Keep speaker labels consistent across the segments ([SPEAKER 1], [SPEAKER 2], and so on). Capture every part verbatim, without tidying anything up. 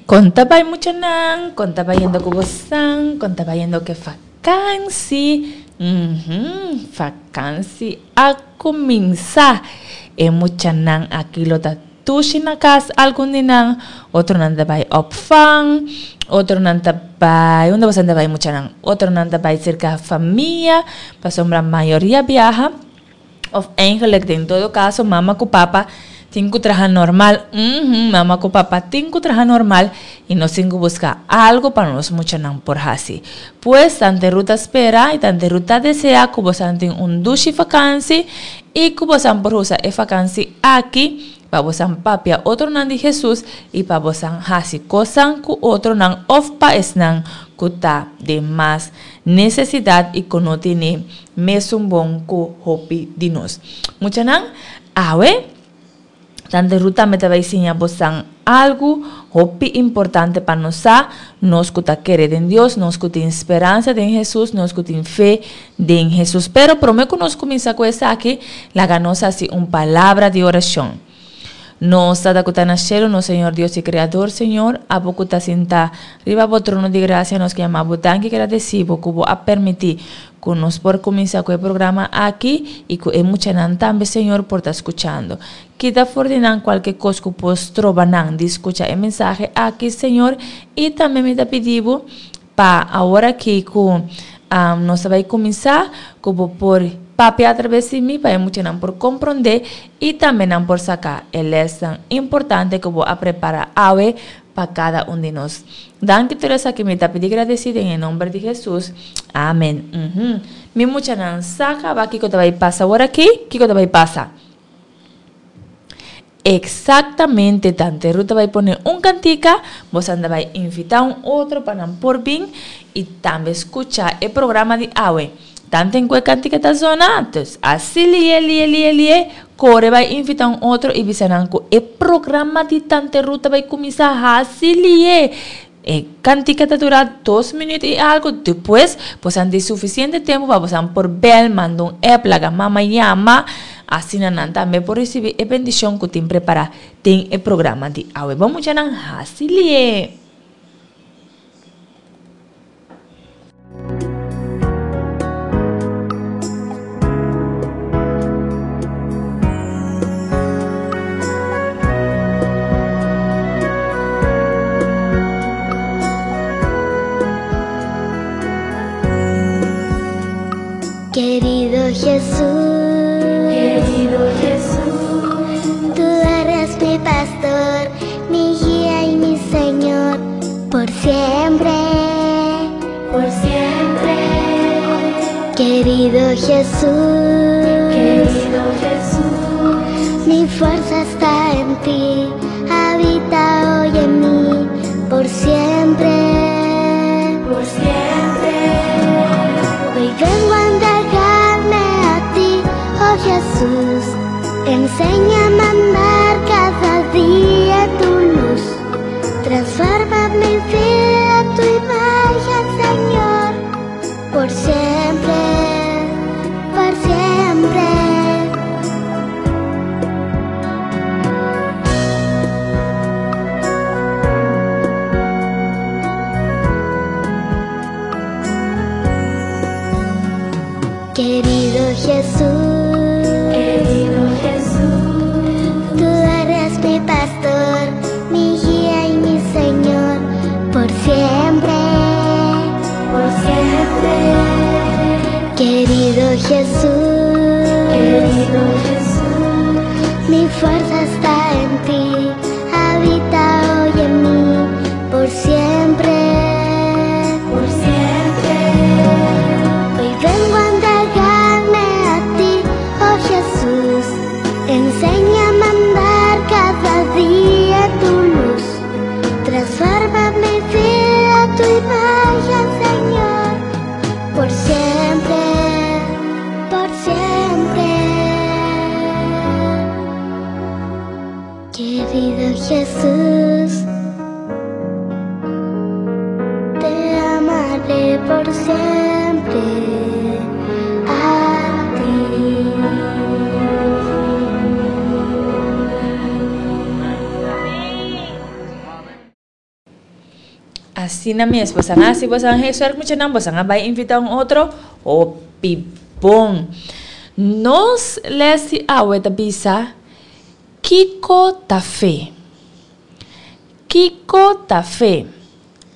[SPEAKER 1] Kon ta bai muchanan, kon ta bayendo ku bosan, kon ta bayendo ku e fakansi? Uhum, fakansi a kuminsá. E muchanan aki lo ta dushi na kas, algun di nan, otronan ta bai opvang, otronan ta bai, unda bosan ta bai muchanan? Otronan ta bai serka famia, pasobra mayoria biaha, of eigenlijk den todo kaso mama ku papa tin ku traha normal, uhum, mama ku papa tin ku traha normal i nos tin ku buska algu pa nos muchanan por hasi. Pues Tante Ruth ta spera i Tante Ruth ta desea ku bosan tin un dushi fakansi i ku bosan por usa e fakansi aki pa bosan papia otronan di Hesus i pa bosan hasi kosan ku otronan of pa esnan ku ta den mas nesesidat i ku no tene mesun bon ku hopi di nos. Muchanan, awe Tante Ruth tambe ta bai siña bosan algu hopi importante pa nos sa, nos ku ta kere den Dios, nos ku tin speransa den Hesus, nos ku tin fe den Hesus. Pero promé ku nos kuminsá ku esaki, laga nos hasi un palabra di orashon. Nos Tata ku ta na shelu, nos Señor Dios i Kreador, Señor, abo ku ta sintá riba bo trono di grasia, nos ke yama bo danki i gradesí bo ku bo a permití ku nos por kuminsá ku e programa aki i ku e muchanan tambe, Señor, por ta skuchando. Kita for di nan kualke kos ku por stroba nan di skucha e mensahe aki, Señor, i tambe mi ta pidi bo pa awor aki ku nos ta bai kuminsá, ku bo por papia atraves di mi pa e muchanan por komprondé i tambe nan por saka e lèsnan importante ku bo a prepará awe pa kada un di nos. Danki tur esaki mi ta pidi gradesí den e nomber di Hesus. Amen. Uhum. Mi muchanan sa kaba kiko ta bai pasa awor aki? Kiko ta bai pasa? Exactamente, Tante Ruth ta bai pone un cantica, bosan ta bai invita un otro pa nan por bin y tambe scucha e programa di awe. Tanten cu e cantica ta zona, dus asi lie lie lie lie, core bai invita un otro y bisa nan cu e programa di Tante Ruth ta bai cuminsa hasi lie. E cantica ta dura dos minuut y algo, despues bosan tin suficiente tempo pa bosan por bel, manda un app, laga mama yama, asina nan tambe por ricibi e bendicion cu tin prepara den e programa di awe. Bon muchanan, haci lie!
[SPEAKER 2] Querido Jesús,
[SPEAKER 3] Querido Jesús,
[SPEAKER 2] tú eres mi pastor, mi guía y mi Señor, por siempre,
[SPEAKER 3] por siempre.
[SPEAKER 2] Querido Jesús,
[SPEAKER 3] Querido Jesús,
[SPEAKER 2] mi fuerza está en ti, habita hoy en mí, por siempre,
[SPEAKER 3] por siempre.
[SPEAKER 2] Hoy vengo a entregarme a ti, oh Jesús, enséñame a andar cada día tu luz, transforma mi vida a tu imagen, Señor, por siempre, por siempre. Querido Jesús,
[SPEAKER 3] Querido Jesús,
[SPEAKER 2] tú eres mi pastor, mi guía y mi Señor, por siempre,
[SPEAKER 3] por siempre.
[SPEAKER 2] Querido Jesús,
[SPEAKER 3] Querido Jesús,
[SPEAKER 2] mi fuerza está en ti, habita hoy en mí, por siempre,
[SPEAKER 3] por siempre.
[SPEAKER 2] Hoy vengo a entregarme a ti, oh Jesús, enséñame a andar cada día tu luz, transforma mi vida a tu imagen, Señor, por siempre, por siempre. Querido Jesús, te amaré por siempre a ti.
[SPEAKER 1] Asina mes, boso a hasi boso huiswerk muchanan, boso a bai invitá un otro? Hopi bon! Nos les di awe ta bisa, Kiko ta fe? Kiko ta fe?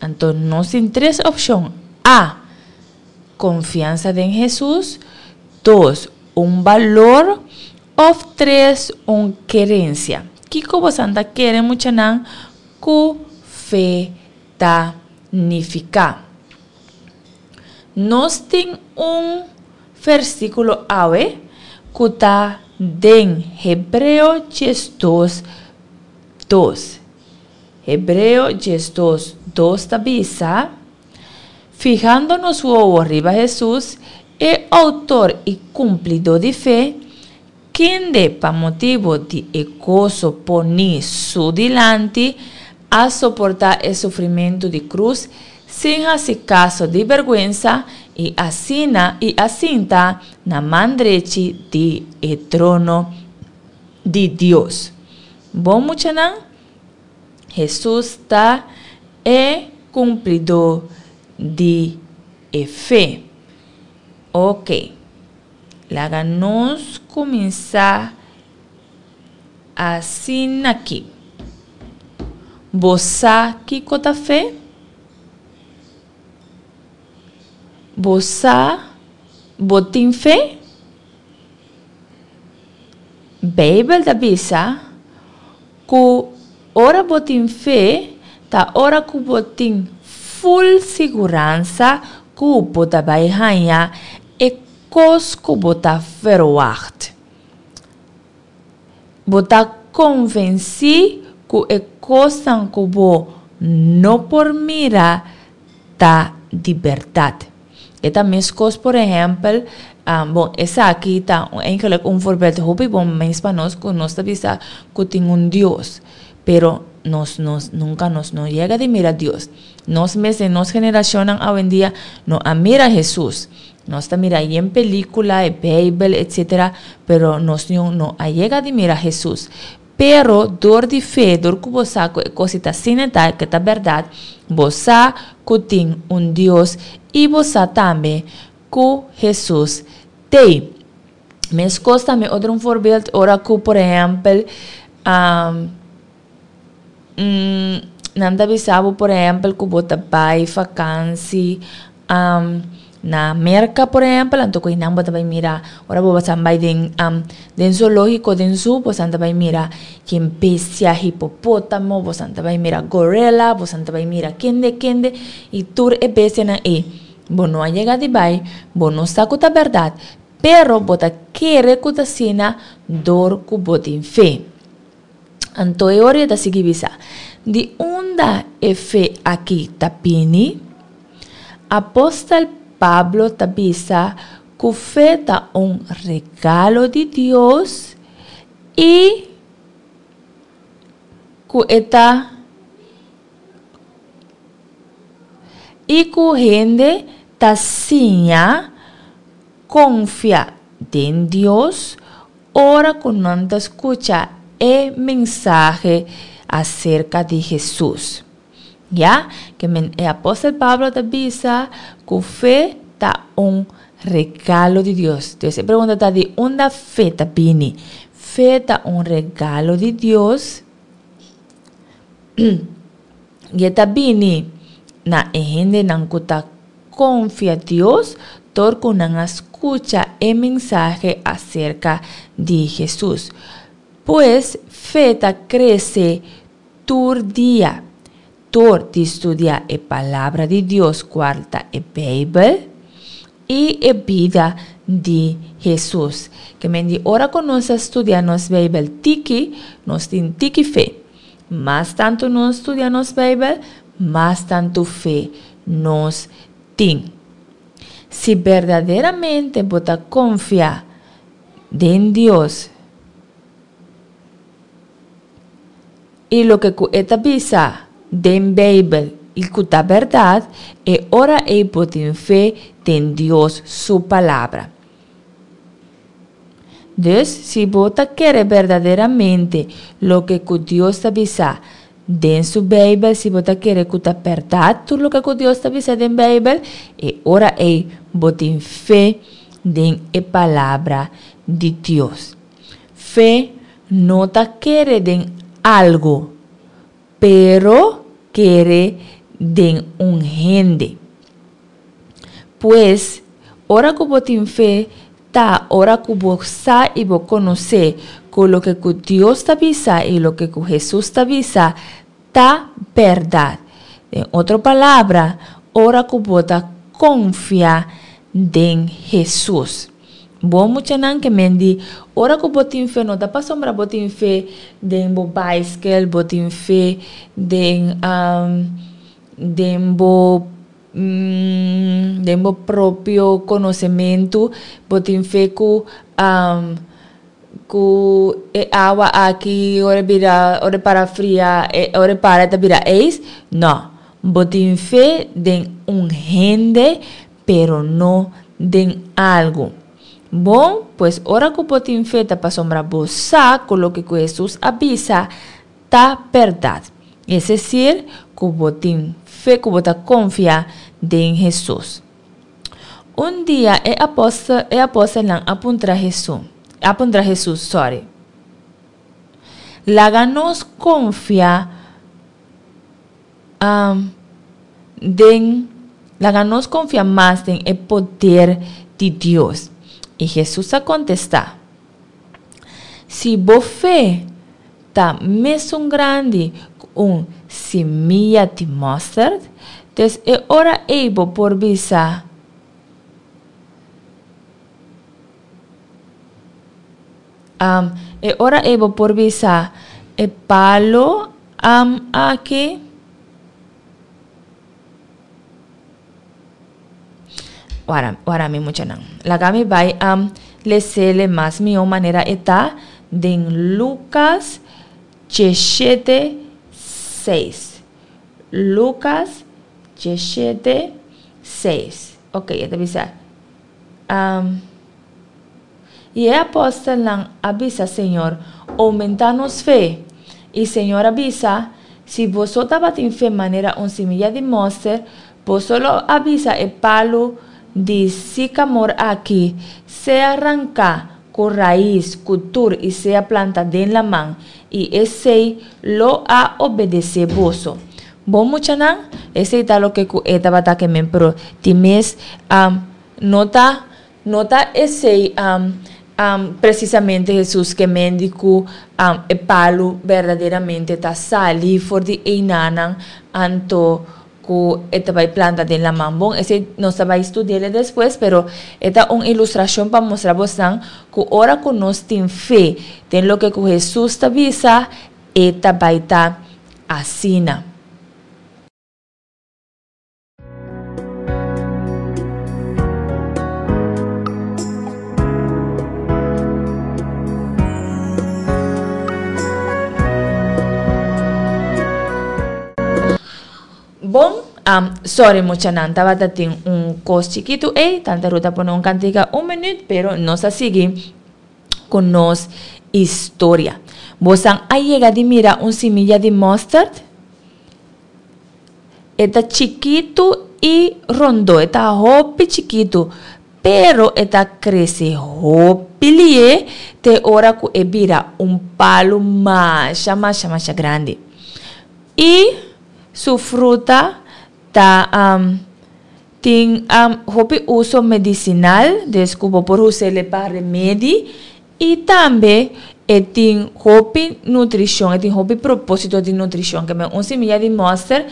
[SPEAKER 1] Anto nos tin tres opshon. A. Konfiansa den Hesus. Dos, un balor. Òf tres, un kerensia. Kiko boso ta kere muchanan ku fe ta nifiká? Nos tin un versíkulo awe ku ta den Hebreo diesdos dos. Hebreo diesdos dos ta bisa, Fihando nos wowo riba Hesus, e outor i kumplidó di fe, kende pa motibu di e goso poní su dilanti a soportá e sufrimentu di krus sin hasi kaso di bèrgwensa i asina i a sinta na man drechi di e trono di Dios. Bon muchanan, Hesus ta e kumplidó di e fe. Ok, laga nos kuminsá asin'aki. Bo sa kiko ta fe? Bo sa bo tin fe? Beibel ta bisa ku ora bo tin fe ta ora ku bo tin ful siguransa ku bo ta bai haña e kos ku bo ta verwagt. Bo ta konvensí ku e kosnan ku bo no por mira ta di bèrdat. E ta meskos por ehèmpel, bon esaki ta eigenlijk un voorbeeld hopi bon mes pa nos ku nos ta bisa ku tin un Dios, pero nos nos nunka nos no yega di mira Dios. Nos mes den nos generashonnan awendia no a mira Hesus. Nos ta mira yen pelíkula, e Beibel, etcetera, pero nos niun no a yega di mira Hesus. Pero dor di fe, dor ku bo sa ku e kos ta asina ta, ke ta bèrdat, bo sa ku tin un Dios i bo sa tambe ku Hesus t'ei. Meskos tambe otro un voorbeeld ora ku por ehèmpel nan ta bisa bo por ehèmpel ku bo ta bai fakansi na Merka por ehèmpel anto ku einan bo ta bai mira ora bo basan bai den den zoológiko den zoo bosan ta bai mira ken bestia hipopótamo bosan ta bai mira gorila bosan ta bai mira kende kende i tur e bestianan ei bo no a yega di bai bo no sa ku ta bèrdat pero bo ta kere ku ta asina dor ku bo tin fe. Anto e ora e ta sigui bisa, Di unda e fe aki ta bini? Apostel Pablo ta bisa ku fe ta un regalo di Dios i ku e ta i ku hende ta siña konfia den Dios ora ku nan ta skucha e mensahe aserka di Hesus. Ya, ke men e apostel Pablo ta bisa ku fe ta un regalo di Dios. Dus e pregunta ta di unda fe ta bini? Fe ta un regalo di Dios i e ta bini na e hendenan ku ta konfia Dios dor ku nan a skucha e mensahe aserka di Hesus. Pues, fe ta krese tur dia dor di studia e Palabra di Dios, kual ta e Beibel, i e bida di Hesus. Ke men di ora ku nos a studia nos Beibel tiki, nos tin tiki fe. Mas tantu nos studia nos Beibel, mas tantu fe nos tin. Si berdaderamente bo ta konfia den Dios i loke ku e ta bisa den Beibel i ku ta bèrdat, e ora ei bo tin fe den Dios su Palabra. Dus, si bo ta kere berdaderamente loke ku Dios ta bisa den su Bijbel, si bo ta kere ku ta bèrdat tur loke ku Dios ta bisa den Bijbel, e ora ei bo tin fe den e palabra di Dios. Fe no ta kere den algu, pero kere den un hende. Pues, ora ku bo tin fe, ta ora ku bo sa i bo konosé ku loke ku Dios ta bisa i loke ku Hesus ta bisa ta bèrdat. Den otro palabra, ora ku bo ta konfia den Hesus. Bon muchanan ke men di, ora ku bo tin fe no ta pasobra bo tin fe den bo baiskel, bo tin fe den um, den bo mm, den bo propio konosementu, bo tin fe ku um, ku e awa aki ora bira ora para fria e ora para ta bira ijs. No, bo tin fe den un hende, pero no den algu. Bon, pues ora ku bo tin fe ta pasobra bo sa ku loke ku Hesus a bisa ta bèrdat. Es desir, ku bo tin fe ku bo ta konfia den Hesus. Un dia e apòstel e apòstelnan a puntra Hesus, a puntra Hesus, sorry. Laga nos konfia um, den laga nos konfia mas den e poder di Dios. I Hesus a kontestá, Si bo fe ta mesun grandi ku un simia di mòsterd, dus e ora ei bo por bisa um, e ora ei bo por bisa e palu um, aki Wara, wara mi muchanan. Laga mi bai um, lesele mas mihó manera e ta den Lucas diesshete seis. Lucas diesshete seis. Ok, e ta bisa. Um, i e apòstelnan a bisa Señor, Oumentá nos fe. I Señor a bisa, Si boso tabatin fe manera un similla di mòster, boso lo a bisa e palu di sikamor aki, Sea ranká ku rais ku tur i sea planta den laman, i esei lo a obedesé boso. Bon muchanan, esei ta loke ku e tabata ke men, pero di mes no ta no ta esei Precisamente Hesus ke men di ku e palu berdaderamente ta sali for di einanan anto ku e ta bai planta den laman. Bon, esei nos ta bai studi'el despues, pero e ta un ilustrashon pa mustra bosnan ku ora ku nos tin fe den loke ku Hesus ta bisa, e ta bai ta asina. Bon, um, sorry muchanan, tabata tin un kos chikitu ei, Tante Ruth a pone un kantika un minuut, pero nos a sigui ku nos historia. Bosan a yega di mira un similla di mustard? E ta chikitu i rondó, e ta hopi chikitu, pero e ta krese hopi lié te ora ku e bira un palu masha masha masha grandi. I su fruta ta tin hopi uso medisinal, des ku bo por us'é pa remedi i tambe e tin hopi nutrishon, e tin hopi propósito di nutrishon. Ke men un similla di mòster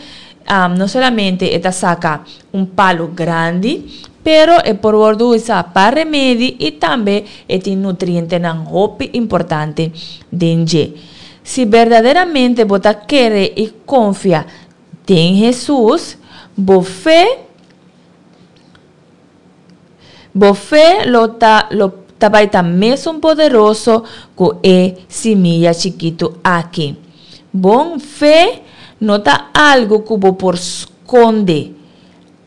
[SPEAKER 1] no solamente e ta saka un palu grandi, pero e por wòrdu usá pa remedi i tambe e tin nutrientenan hopi importante den dje. Si berdaderamente bo ta kere i konfia den Hesus, bo fe bo fe lo ta lo ta bai ta mesun poderoso ku e similla chikitu aki. Bon fe no ta algu ku bo por skonde.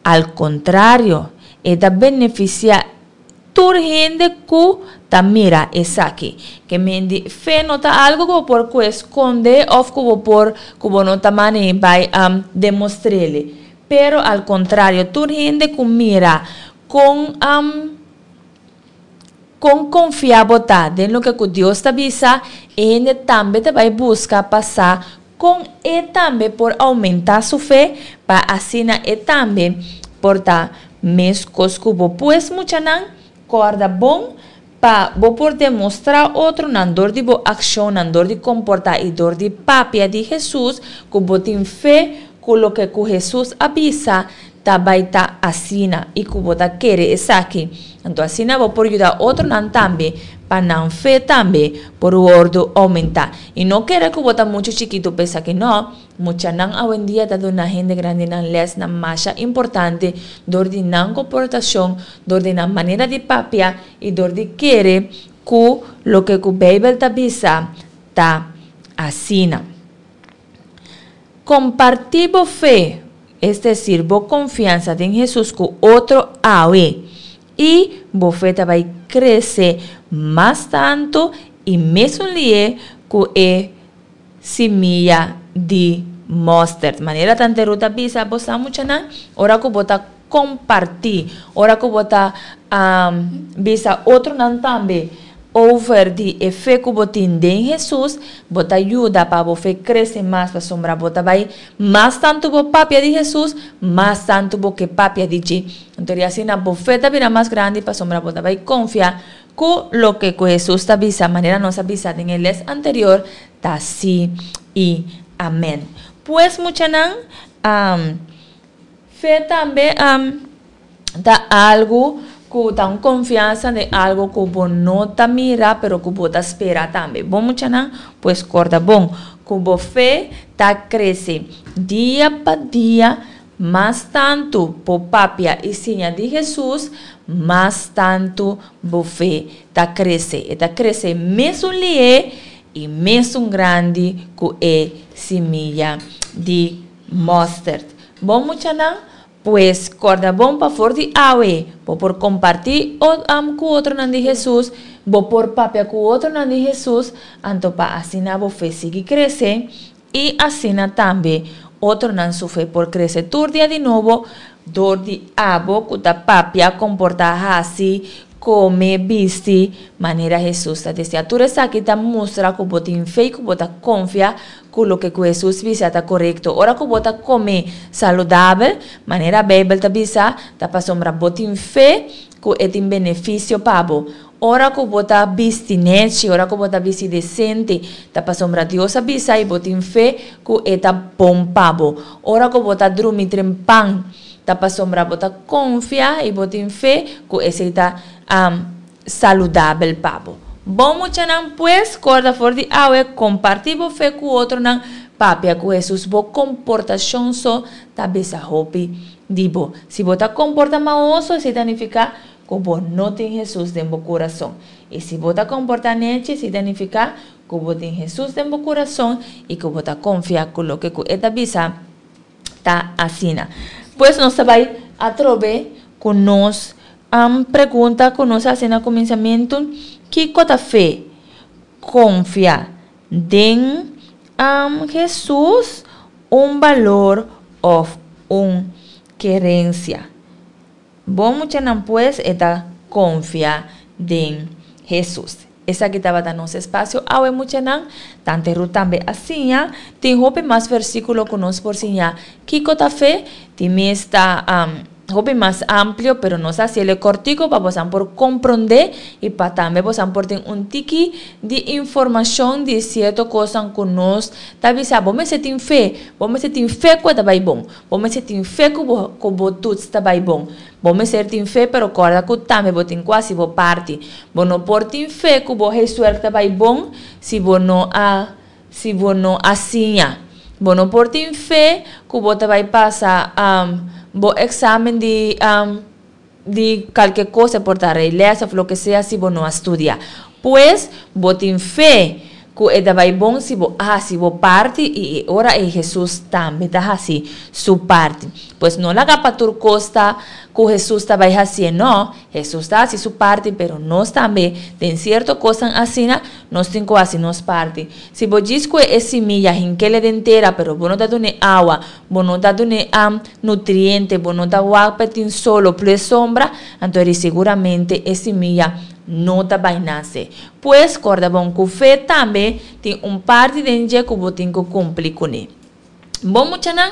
[SPEAKER 1] Al kontrario, e ta benefisiá Tur hende ku ta mira esaki. Ke men di fe no ta algu ku bo por ku skonde òf ku bo por ku bo no ta mane bai um, demostr'é. Pero al kontrario, tur hende ku mira kon um, kon konfiá bo ta den loke ku Dios ta bisa, e hende tambe ta bai buska pa sa kon e tambe por oumentá su fe pa asina e tambe por ta meskos ku bo. Pues muchanan, kòrda bon pa bo por demostrá otronan dor di bo akshonnan, dor di komportá i dor di papia di Hesus ku bo tin fe ku loke ku Hesus a bisa ta bai ta asina i ku bo ta kere esaki. Anto asina bo por yuda otronan tambe pa nan fe tambe por wòrdu oumentá. I no kere ku bo ta muchu chikitu pa esaki no, muchanan awendia ta duna hende grandinan lèsnan masha importante dor di nan komportashon, dor di nan manera di papia i dor di kere ku loke ku Beibel ta bisa ta asina. Kompartí bo fe, es desir, bo konfiansa den Hesus ku otro awe, i bo fe ta bai krese mas tantu i mesun lié ku e simia di mòstert. Manera Tante Ruth a bisa bo sa muchanan, ora ku bo ta kompartí, ora ku bo ta bisa otronan tambe over di e fe ku bo tin den Hesus, bo ta yuda pa bo fe krese mas, pasobra bo ta bai mas tantu bo papia di Hesus, mas tantu bo ke papia di dje. Anto di asina bo fe ta bira mas grandi, pasobra bo ta bai konfia ku loke ku Hesus ta bisa, manera nos a bisa den e les anterior, ta sí i amèn. Pues muchanan, fe tambe ta algu ku ta un konfiansa den algu ku bo no ta mira pero ku bo ta spera tambe. Bon muchanan, pues kòrda bon ku bo fe ta krese dia pa dia. Mas tantu bo papia i siña di Hesus, mas tantu bo fe ta krese. E ta krese mesun lihé i mesun grandi ku e simia di mòstert. Bon muchanan, pues kòrda bon pa for di awe bo por kompartí ku otronan di Hesus, bo por papia ku otronan di Hesus, anto pa asina bo fe sigui krese i asina tambe otronan su fe por krese tur dia di nobo dor di abo ku ta papia, komportá, hasi, kome, bisti manera Hesus ta deseá. Tur esaki ta mustra ku bo tin fe i ku bo ta konfia ku loke ku Hesus bisa ta korekto. Ora ku bo ta kome saludabel, manera Beibel ta bisa, ta pasobra bo tin fe ku e tin benefisio pa bo. Ora ku bo ta bisti nechi, ora ku bo ta bisti desente, ta pasobra Dios a bisa i bo tin fe ku e ta bon pa bo. Ora ku bo ta drumi trempan, ta pasobra bo ta konfia i bo tin fe ku esei ta saludabel pa bo. Bon muchanan, pues, kòrda for di awe, kompartí bo fe ku otronan, papia ku Hesus. Bo komportashon so ta bisa hopi di bo. Si bo ta komportá maoso, esei ta nifiká ku bo no tin Hesus den bo kurason. I si bo ta komportá nechi, esei ta nifiká ku bo tin Hesus den bo kurason i ku bo ta konfia ku loke ku e ta bisa ta asina. Pues nos ta bai atrobe ku nos pregunta ku nos a hasi na kuminsamentu, Kiko ta fe? Konfia den Hesus, un balor òf un kerensia? Bon muchanan pues e ta konfia den Hesus. Esaki tabata nos espasio awe muchanan. Tante Ruth tambe a siña. Tin hopi mas versíkulo ku nos por siña kiko ta fe. Tin mes ta hopi mas amplio, pero nos a hasiel e kòrtiku pa bosan por komprondé i pa tambe bosan por tin un tiki di informashon di sierto kosnan ku nos ta bisa. Bo mester tin fe. Bo mester tin fe ku e ta bai bon. Bo mester tin fe ku bo ku bo tuts ta bai bon. Bo mester tin fe, pero kòrda ku tambe bo tin ku hasi bo parti. Bo no por tin fe ku bo huiswerk ta bai bon si bo no a si bo no a siña. Bo no por tin fe ku bo ta bai pasa bo eksamen di di kalke kos, e por ta reiles òf loke sea si bo no a studia. Pues, bo tin fe Ku e ta bai bon si bo hasi bo parti i e ora ei Hesus tambe ta hasi su parti. Pues no laga pa tur kos ta ku Hesus ta bai hasié, no, Hesus ta hasi su parti pero nos tambe den sierto kosnan asina nos tin ku hasi nos parti. Si bo djis kue e simia hink'el den tera pero bo no ta dun'é awa, bo no ta dun'é nutriente, bo no ta wak pa e tin sol o plu e sombra, anto eri seguramente e simia no ta bai nase. Pues, kòrda bon ku fe tambe tin un parti den dje ku bo tin ku kumpli kuné. Bon muchanan,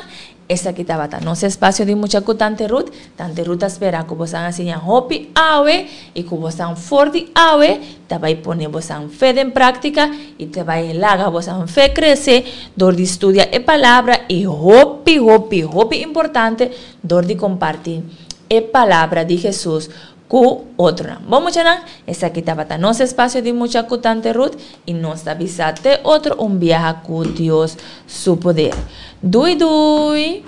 [SPEAKER 1] esaki tabata nos espasio di Mucha ku Tante Ruth. Tante Ruth ta spera ku bosan a siña hopi awe i ku bosan for di awe ta bai pone bosan fe den práktika i ta bai laga bosan fe krese dor di studia e Palabra i hopi, hopi, hopi importante dor di kompartí e Palabra di Hesus ku otronan. Bon muchanan, esaki tabata nos espasio di Mucha ku Tante Ruth i nos ta bisa te otro un biaha ku Dios su poder. Dui dui!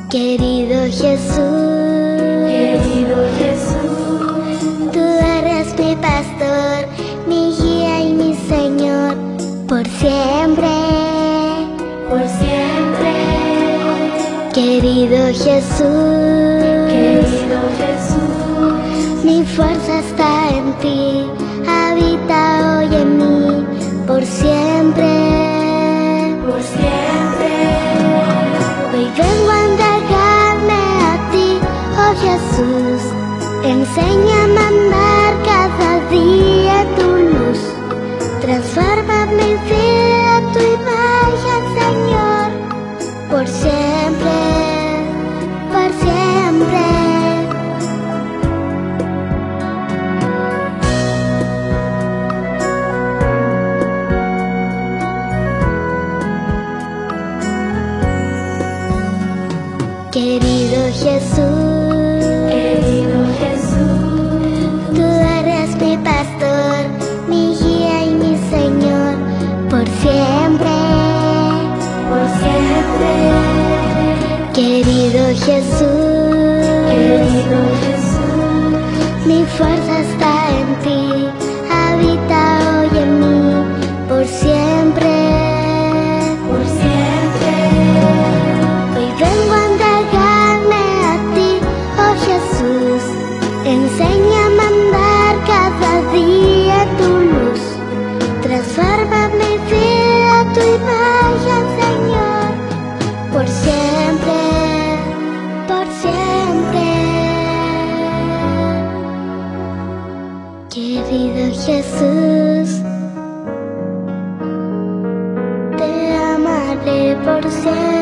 [SPEAKER 2] Querido Jesús,
[SPEAKER 3] querido Jesús,
[SPEAKER 2] tú eres mi pastor, mi guía y mi Señor, por siempre,
[SPEAKER 3] por siempre.
[SPEAKER 2] Querido Jesús,
[SPEAKER 3] querido Jesús,
[SPEAKER 2] mi fuerza está en ti, habita hoy en mí, por siempre,
[SPEAKER 3] por siempre.
[SPEAKER 2] Hoy vengo a entregarme a ti, oh Jesús, enséñame a andar cada día tu luz, transforma mi vida a tu imagen, Señor, por siempre, por siempre. Querido Jesús,
[SPEAKER 3] querido Jesús,
[SPEAKER 2] tú eres mi pastor, mi guía y mi Señor, por siempre,
[SPEAKER 3] por siempre.
[SPEAKER 2] Querido Jesús,
[SPEAKER 3] querido Jesús,
[SPEAKER 2] mi fuerza está en ti, habita hoy en mí, por siempre,
[SPEAKER 3] por siempre.
[SPEAKER 2] Hoy vengo a entregarme a ti, oh Jesús, enséñame a andar cada día tu luz, transforma mi vida a tu imagen, Señor, por siempre, por siempre. Querido Jesús, te amaré por siempre.